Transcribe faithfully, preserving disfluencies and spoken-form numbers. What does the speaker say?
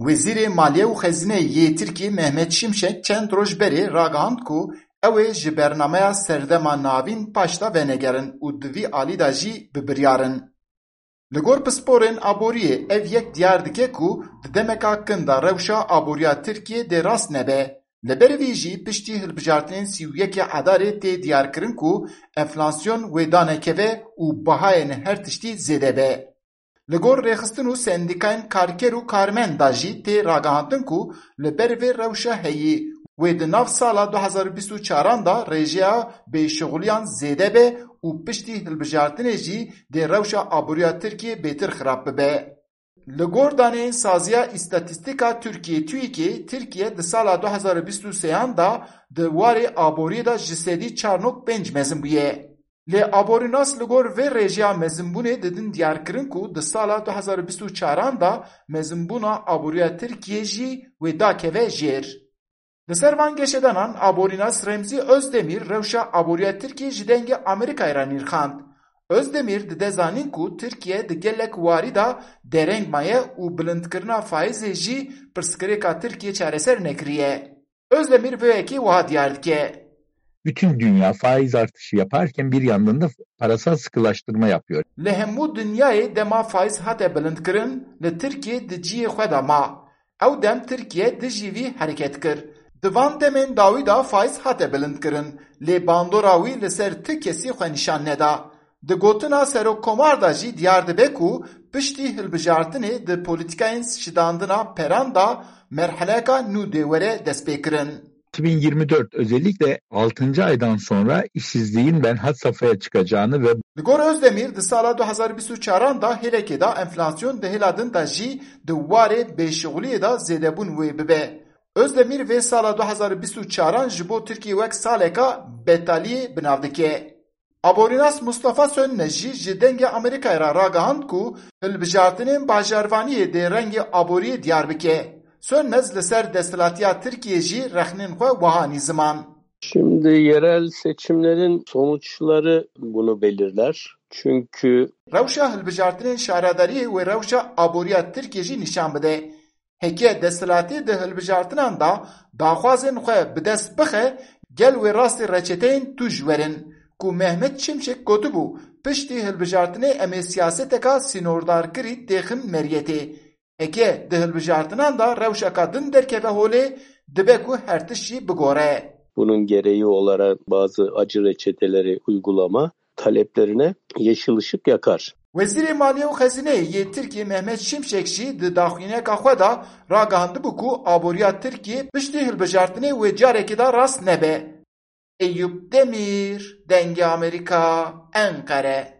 Wezîrê Maliye û Xezîneyê yê Tirkiyê Mehmet Şimşek çend roj berê ragihand ku ew ê ji bernameya Serdema Navîn paş de venegerin û di vî alî de jî bi biryar in. Li gor pisporên aboriyê ev yek diyar dike ku di demeka kin de rewşa aboriya Tirkiyê dê rast nebe. Li ber vî jî piştî hilbijartinên sî û yekê Edarê tê diyarkirin ku enflasyon wê danekeve û bihayên her tiştî zêde be. Li gor rêxistin û sendîkayên karker û karmend de jî tê ragihandin ku li ber vê rewşa heyî wê di nav sala du hezar û bîst û çaran de rêjeya bêşixuliyan zêde be û piştî hilbijartinê jî dê rewşa aboriya Tirkiyê bêtir xirab bibe. Li gor daneyên Saziya Îstatîstîka Tirkiyê, TÜİKê, Tirkiye di sala du hezar û bîst û sêyan de di warê aboriyê de ji sedî çar nokta pênc mezin bûye. Lê aborînas li gor vê rêjeya mezinbûnê didin diyarkirin ku di sala du hezar û bîst û çaran de mezinbûna aboriya Tirkiyê jî wê dakeve jêr. Li ser van geşedanan aborînas Remzî Özdemir rewşa aboriya Tirkiyê ji dengê Amerîkayê re nirxand. Özdemir dide zanîn ku Tirkiye di gelek warî de dereng maye û bilindkirina faîzê jî pirsgirêka Tirkiyê çareser nekiriye. Özdemir vê yekê wiha diyar dike. Bütün dünya faiz artışı yaparken bir yandan da parasal sıkılaştırma yapıyor. Li hemû dinyayê dema faiz hate bilindkirin, li Tirkiyê di cihê xwe de ma. Ew dem Tirkiye dijî vî hereket kir. Di van demên dawî de faiz hate bilindkirin, lê bandora wî li ser ti kesî xwe nîşan neda. Di gotina Serokkomar de jî diyar dibe ku piştî hilbijartinê di polîtîkayên şidandina peran de merheleka nû dê were destpêkirin. iki bin yirmi dört özellikle altıncı aydan sonra işsizliğin ben had safhaya çıkacağını ve Li gor Özdemir di sala du hezar bîst û çaran de hêlekê de enflasyon di hêla din de jî di warê bêşixuliyê de zêdebûn wê bibe. Özdemir vê sala du hezar bîst û çaran ji bo Tirkiyê wek saleka betaliyê bi nav dike. Aborînas Mustafa Sönmez jî ji Dengê Amerîkayê re ragihand ku hilbijartinên bajarvaniyê dê rengê aboriyê diyar bike. Sönmez li ser desthilatiya Tirkiyê jî rexnên xwe wiha anî ziman. Şimdi yerel seçimlerin sonuçları bunu belirler. Çünkü Rewşa hilbijartinên şaredariyê wê rewşa aboriya Tirkiyê jî nîşan bide. Heke desthilatî di hilbijartinan de daxwazên xwe bi dest bixe, gel wê rastî reçeteyên tûj werin, ku Mehmet Şimşek gotibû, piştî hilbijartinê em ê siyaseteka sînordarkirî têxin meriyetê. Heke di hilbijartinan de rewşeka din derkeve holê, dibe ku her tişt jî bigore. Bunun gereği olarak bazı acı reçeteleri uygulama taleplerine yeşil ışık yakar. Wezîrê Maliye û Xezîneyê yê Tirkiyê Mehmet Şimşek jî di daxuyaniyeka xwe de ragihandibû ku aboriya Tirkiyê piştî hilbijartinê wê carekê de rast nebe. Eyûp Demîr, Dengê Amerîka, Enqere.